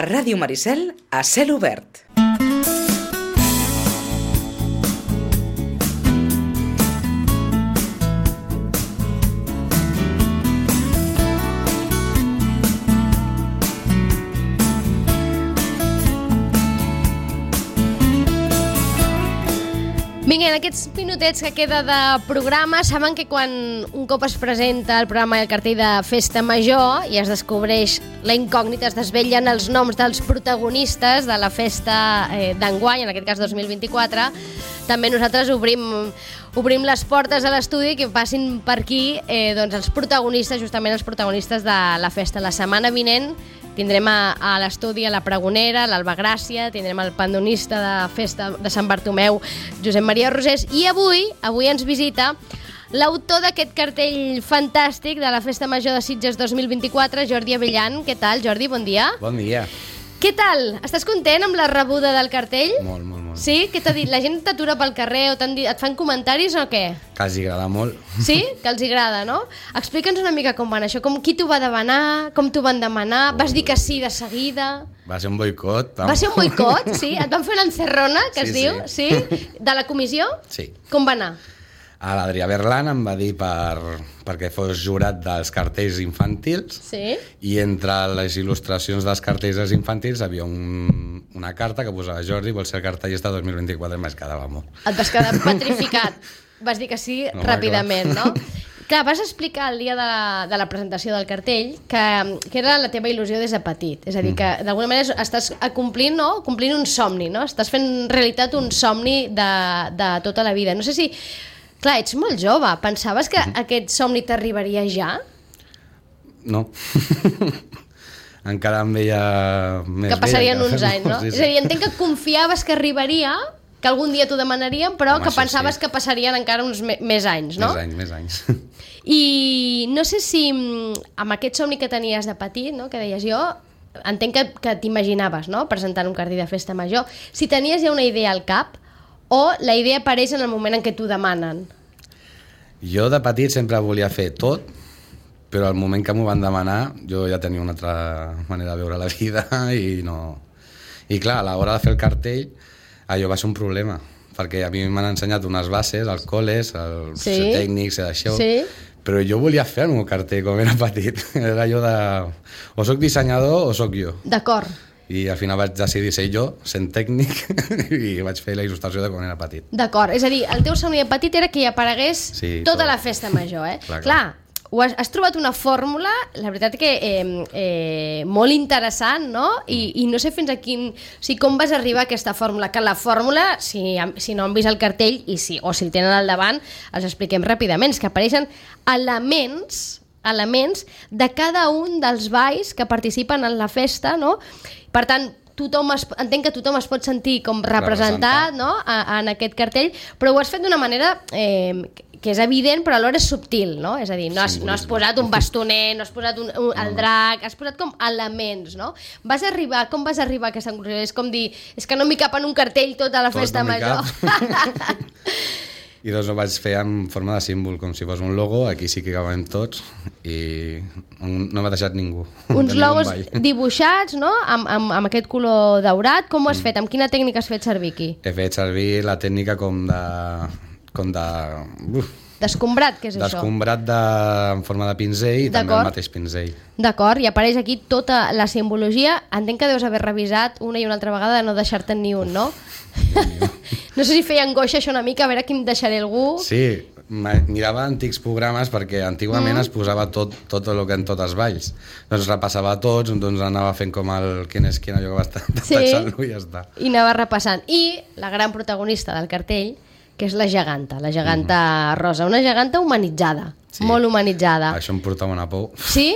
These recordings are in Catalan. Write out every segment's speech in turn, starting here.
A Ràdio Maricel, a cel obert. Vinga, en aquests minutets que queda de programa, saben que quan un cop es presenta el programa i el cartell de Festa Major i es descobreix la incògnita, es desvellen els noms dels protagonistes de la festa d'enguany, en aquest cas 2024, també nosaltres obrim les portes a l'estudi que passin per aquí doncs els protagonistes, justament els protagonistes de la festa. La setmana vinent tindrem a l'estudi a la pregonera, l'Alba Gràcia, tindrem el pandonista de festa de Sant Bartomeu, Josep Maria Rosés, i avui ens visita l'autor d'aquest cartell fantàstic de la Festa Major de Sitges 2024, Jordi Abellan. Què tal, Jordi? Bon dia. Bon dia. Què tal? Estàs content amb la rebuda del cartell? Molt, molt, molt. Sí? Què t'ha dit? La gent t'atura pel carrer o et fan comentaris o què? Que els agrada molt. Sí? Que els agrada, no? Explica'ns una mica com van això. Qui t'ho va demanar? Com t'ho van demanar? Vas dir que sí de seguida? Va ser un boicot. Va ser un boicot, sí? Et van fer una encerrona, que es diu? Sí. De la comissió? Sí. Com va anar? L'Adrià Berlan em va dir perquè fos jurat dels cartells infantils, Sí? i entre les il·lustracions dels cartells infantils havia una carta que posava Jordi, vol ser el cartellista 2024, i m'es quedava molt. Et vas quedar petrificat. Vas dir que sí ràpidament, no? Clar, vas explicar el dia de la presentació del cartell que era la teva il·lusió des de petit. És a dir, que d'alguna manera estàs complint un somni, no? Estàs fent realitat un somni de tota la vida. No sé si... Clar, ets molt jove. Pensaves que aquest somni t'arribaria ja? No. Encara em veia més que passarien uns anys, no? Sí. És a dir, entenc que confiaves que arribaria, que algun dia t'ho demanarien, però que pensaves que passarien encara uns més anys, no? Més anys. I no sé si amb aquest somni que tenies de petit, no? Que deies jo, entenc que t'imaginaves, no? Presentant un cartell de Festa Major, si tenies ja una idea al cap o la idea apareix en el moment en què t'ho demanen? Jo de petit sempre volia fer tot, però al moment que m'ho van demanar jo ja tenia una altra manera de veure la vida i no... I clar, a l'hora de fer el cartell allò va ser un problema, perquè a mi m'han ensenyat unes bases, als col·les, als tècnics i d'això, però jo volia fer el meu cartell com era petit. Era allò de... o soc dissenyador o soc jo. D'acord. I al final vaig decidir ser jo, sent tècnic, i vaig fer la il·lustració de quan era petit. D'acord, és a dir, el teu somni de petit era que hi aparegués tota la Festa Major, eh? Clar, has trobat una fórmula, la veritat que molt interessant, no? I no sé fins a quin... O sigui, com vas arribar a aquesta fórmula? Que la fórmula, si no han vist el cartell o si el tenen al davant, els expliquem ràpidament, que apareixen elements de cada un dels balls que participen en la festa, no? Per tant, entenc que tothom es pot sentir com representat, no? En aquest cartell, però ho has fet d'una manera que és evident però alhora és subtil, no? És a dir, no has posat un bastoner, no has posat el drac, has posat com elements, no? Com vas arribar a aquesta conclusió? És com dir, és que no m'hi cap en un cartell tota la Festa Major. I doncs ho vaig fer en forma de símbol, com si fos un logo, aquí sí que acabem tots, i no m'ha deixat ningú. Uns logos dibuixats, no?, amb aquest color daurat. Com ho has fet? Amb quina tècnica has fet servir aquí? He fet servir la tècnica com de... D'escombrat, què és això? D'escombrat en forma de pinzell i també el mateix pinzell. D'acord, i apareix aquí tota la simbologia. Entenc que deus haver revisat una i una altra vegada de no deixar-te'n ni un, no? No sé si feia angoixa això una mica, a veure qui em deixaré algú. Sí, mirava antics programes perquè antigament es posava tot el que en tots els balls. Doncs repassava tots, doncs anava fent com el quin és quin, allò que va estar taxant-lo i ja està. I anava repassant. I la gran protagonista del cartell, que és la geganta rosa, una geganta humanitzada, molt humanitzada. Això em portava una por. Sí?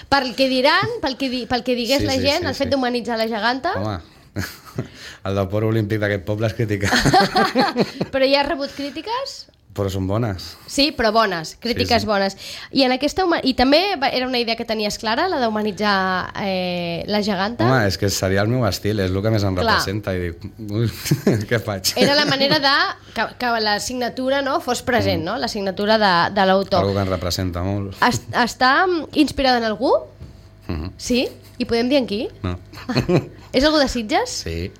Pel que diran, pel que digués la gent, el fet d'humanitzar la geganta... Home, el del port olímpic d'aquest poble és criticat. Però ja has rebut crítiques? Però són bones. Sí, però bones, crítiques bones. I I també era una idea que tenies clara, la d'humanitzar la geganta? Home, és que seria el meu estil, és el que més em representa, i dic, què faig? Era la manera que la signatura fos present, no? La signatura de l'autor. Algo que em representa molt. Està inspirada en algú? Sí? I podem dir en qui? No. És algú de Sitges? Sí.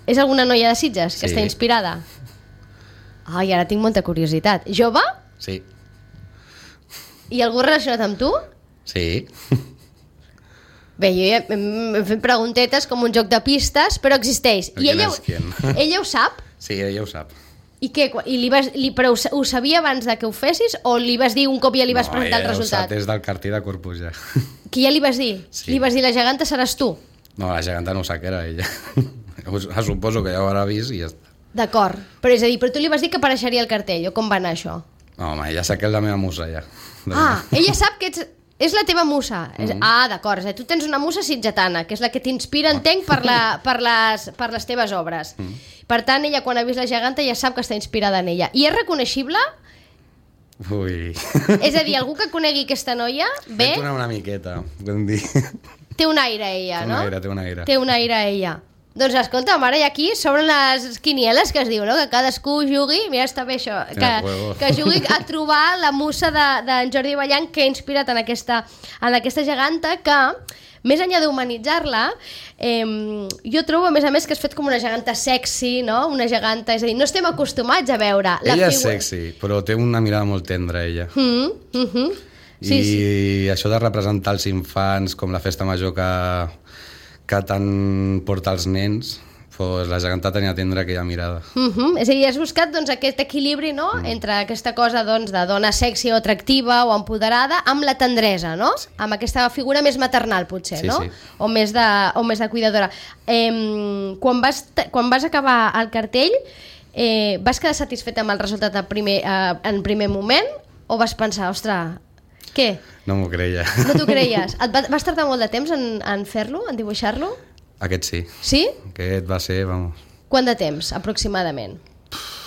És alguna noia de Sitges que Sí. està inspirada? Ai, ara tinc molta curiositat. Jove? Sí. I algú relacionat amb tu? Sí. Bé, jo ja hem fet preguntetes com un joc de pistes, però existeix. I ¿Quién ella, es quién? ella ho sap? Sí, ella ho sap. I què? Però ho sabia abans de que ho fessis o li vas dir un cop ja li vas presentar el resultat? No, ella ho sap des del cartell de Corpus ja. Que ja li vas dir? Sí. Li vas dir la geganta seràs tu? No, la geganta no ho sap que era ella. Suposo que ja ho haurà vist i ja està. D'acord, però és a dir, però tu li vas dir que apareixeria el cartell, o com va anar això? No, home, ella sap que és la meva musa ja. Ella sap que és la teva musa. D'acord, és a dir, tu tens una musa sitgetana, que és la que t'inspira, entenc, per les teves obres. Per tant, ella, quan ha vist la geganta, ja sap que està inspirada en ella. I és reconeixible? Ui. És a dir, algú que conegui aquesta noia, bé, Una miqueta, podem dir. té un aire ella, no? Té un aire. Té un aire ella. Doncs escolta, ara i aquí s'obren les quinieles que es diu, no? Que cadascú jugui, mira, està bé això, que jugui a trobar la musa d'en Jordi Ballant que ha inspirat en aquesta geganta que, més enllà d'humanitzar-la, jo trobo, a més, que has fet com una geganta sexy, no? Una geganta, és a dir, no estem acostumats a veure la Ella és sexy, però té una mirada molt tendra, ella. Sí, I això de representar els infants com la festa major que tant porta els nens, pues la geganta tenia tendra aquella mirada. És a dir, has buscat doncs, aquest equilibri, no? Entre aquesta cosa doncs, de dona sexy o atractiva o empoderada amb la tendresa, no? Sí. Amb aquesta figura més maternal, potser, Sí, no? sí. O més de cuidadora. Quan vas acabar el cartell, vas quedar satisfet amb el resultat en primer moment o vas pensar, ostres, què? No m'ho creia. No t'ho creies? Vas tardar molt de temps en fer-lo, en dibuixar-lo? Aquest sí. Sí? Aquest va ser, vamos, Quant de temps, aproximadament?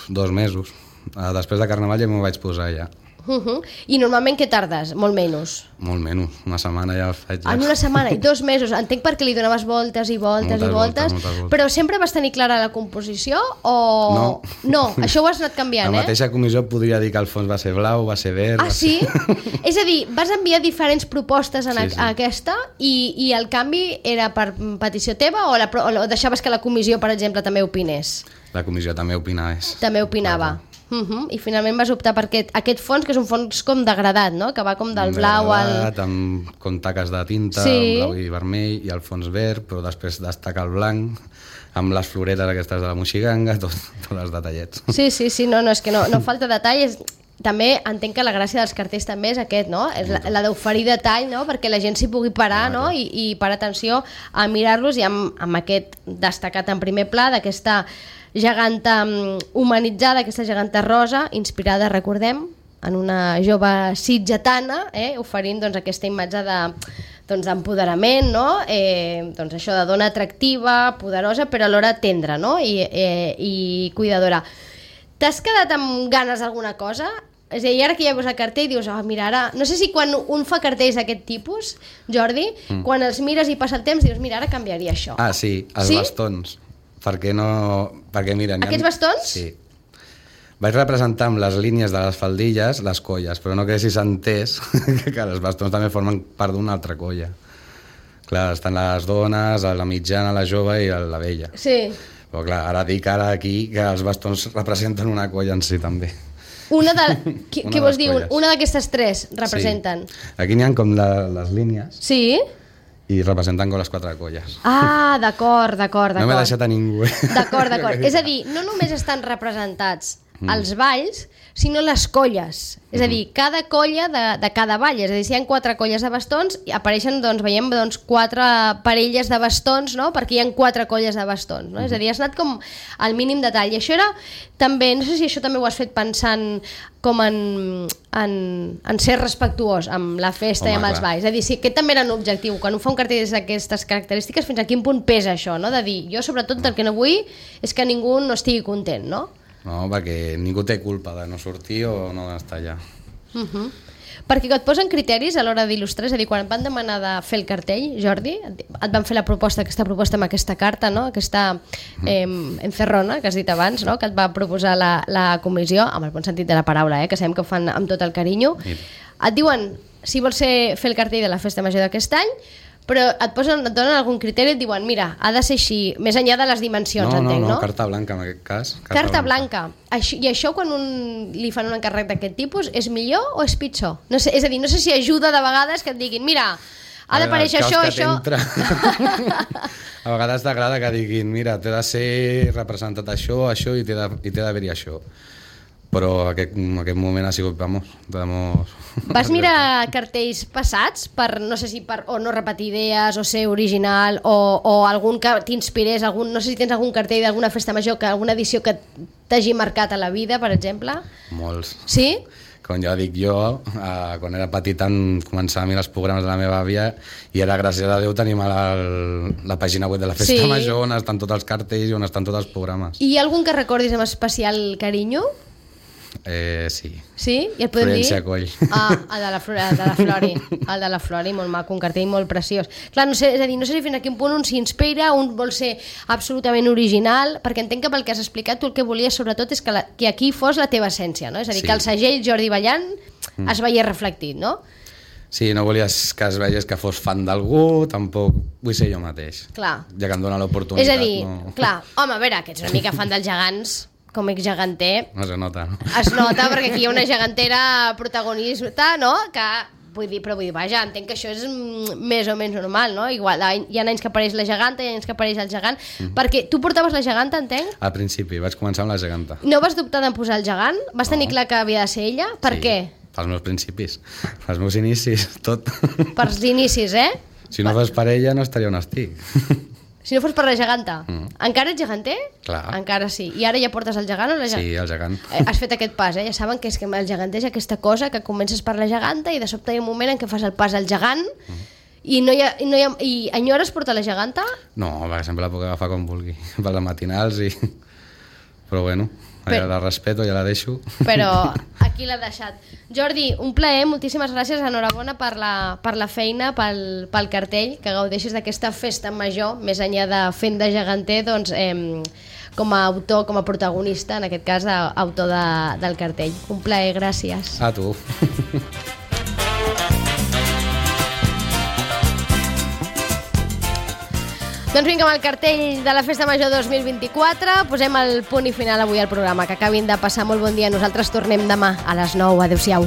2 mesos. Després de Carnaval ja m'ho vaig posar ja. I normalment què tardes? Molt menys. Molt menys, una setmana ja el faig. Ja. En una setmana i 2 mesos. Entenc perquè li donaves voltes i voltes i voltes. Moltes voltes. Però sempre vas tenir clara la composició o... No. No, això ho has anat canviant, La mateixa comissió podria dir que el fons va ser blau, va ser verd... Ah, sí? És a dir, vas enviar diferents propostes a aquesta i el canvi era per petició teva o deixaves que la comissió, per exemple, també opinés? La comissió també opinava. També opinava. I finalment vas optar per aquest fons, que és un fons com degradat, no? Que va com del blau al... Degradat, amb taques de tinta, Sí. blau i vermell, i el fons verd, però després destaca el blanc, amb les floretes aquestes de la moixiganga, tots els detallets. Sí, no, és que no falta detall. També entenc que la gràcia dels cartells també és aquest, no? És la d'oferir detall, no? Perquè la gent s'hi pugui parar, no? I parar atenció a mirar-los, i amb aquest destacat en primer pla d'aquesta geganta humanitzada, aquesta geganta rosa, inspirada, recordem, en una jove sitgetana, oferint doncs, aquesta imatge d'empoderament, no? Doncs això de dona atractiva, poderosa, però alhora tendra, no? I cuidadora. T'has quedat amb ganes d'alguna cosa? És a dir, ara que ja veus el cartell dius, mira, ara... No sé si quan un fa cartells d'aquest tipus, Jordi, quan els mires i passa el temps dius, mira, ara canviaria això. Ah, sí, els bastons. Perquè mira... Aquests bastons? Sí. Vaig representar amb les línies de les faldilles les colles, però no que si s'entès que els bastons també formen part d'una altra colla. Clar, estan les dones, la mitjana, la jove i la vella. Sí. Però clar, ara dic aquí que els bastons representen una colla en si també. Què vols dir? Una d'aquestes 3 representen? Sí. Aquí n'hi ha com les línies Sí? i representen com les 4 colles. Ah, d'acord. No m'he deixat a ningú. D'acord. És a dir, no només estan representats els balls, sinó les colles. És a dir, cada colla de cada ball. És a dir, si hi ha 4 colles de bastons, apareixen, veiem 4 parelles de bastons, no? Perquè hi ha 4 colles de bastons. No? És a dir, has anat com al mínim detall. I això era també, no sé si això també ho has fet pensant com en ser respectuós amb la festa i amb els balls. És a dir, si aquest també era un objectiu. Quan un fa un cartell d'aquestes característiques, fins a quin punt pesa això, no? De dir, jo sobretot el que no vull és que ningú no estigui content, no? No, perquè ningú té culpa de no sortir o no estar allà. Perquè et posen criteris a l'hora d'il·lustrar, és a dir, quan et van demanar de fer el cartell, Jordi, et van fer aquesta proposta amb aquesta carta, no? Aquesta encerrona, que has dit abans, no? Que et va proposar la comissió, amb el bon sentit de la paraula, que sabem que ho fan amb tot el carinyo. Et diuen, si vols fer el cartell de la festa major d'aquest any, Però et donen algun criteri i et diuen, mira, ha de ser així, més enllà de les dimensions, entenc, no? No, carta blanca en aquest cas. Carta blanca. I això quan li fan un encàrrec d'aquest tipus és millor o és pitjor? No sé, és a dir, no sé si ajuda de vegades que et diguin, mira, ha d'aparèixer això. A vegades t'agrada que diguin, mira, té de ser representat això i té d'haver-hi això. Però en aquest moment ha sigut, vamos. Vas mirar cartells passats per, no sé si per o no repetir idees o ser original o algun que t'inspirés, no sé si tens algun cartell d'alguna festa major, alguna edició que t'hagi marcat a la vida, per exemple? Molts. Sí? Com ja dic jo, quan era petit començava a mirar els programes de la meva àvia i era gràcies a Déu tenim la pàgina web de la festa major on estan tots els cartells i on estan tots els programes. I algun que recordis amb especial carinyo? Sí. Sí? I et podem dir? Florència Coll. El de la Flori. El de la Flori, molt maco, un cartell molt preciós. Clar, no sé si fins a quin punt un s'inspira, un vol ser absolutament original, perquè entenc que pel que has explicat tu el que volies sobretot és que aquí fos la teva essència, no? És a dir, que el segell Jordi Ballant es veiés reflectit, no? Sí, no volies que es veiés que fos fan d'algú, tampoc vull ser jo mateix. Clar. Ja que em dona l'oportunitat. És a dir, clar, home, a veure, que ets una mica fan dels gegants, com ex-geganter. No se nota, no? Es nota, perquè aquí hi ha una gegantera protagonista, no? Que, vull dir, vaja, entenc que això és més o menys normal, no? Igual, hi ha anys que apareix la geganta, hi ha anys que apareix el gegant, perquè tu portaves la geganta, entenc? Al principi, vaig començar amb la geganta. No vas dubtar de posar el gegant? Vas tenir clar que havia de ser ella? Per què? Pels meus principis, pels meus inicis, tot. Pels inicis, eh? Si no fos per ella no estaria on estic. Si no fos per la geganta. Encara ets geganter? Clar. Encara sí. I ara ja portes el gegant o la geganta? Sí, el gegant. Has fet aquest pas, Ja saben que és que el geganter és aquesta cosa que comences per la geganta i de sobte hi ha un moment en què fas el pas al gegant i enyores portar la geganta? No, perquè sempre la puc agafar com vulgui, per les matinals i... Però bueno, la respeto, ja la deixo. Però aquí l'ha deixat. Jordi, un plaer, moltíssimes gràcies, enhorabona per la feina, pel cartell, que gaudeixis d'aquesta festa major, més enllà de fent de geganter, doncs, com a autor, com a protagonista, en aquest cas, autor del cartell. Un plaer, gràcies. A tu. Doncs vinga, amb el cartell de la Festa Major 2024 posem el punt i final avui al programa. Que acabin de passar molt bon dia. Nosaltres tornem demà a les 9. Adéu-siau.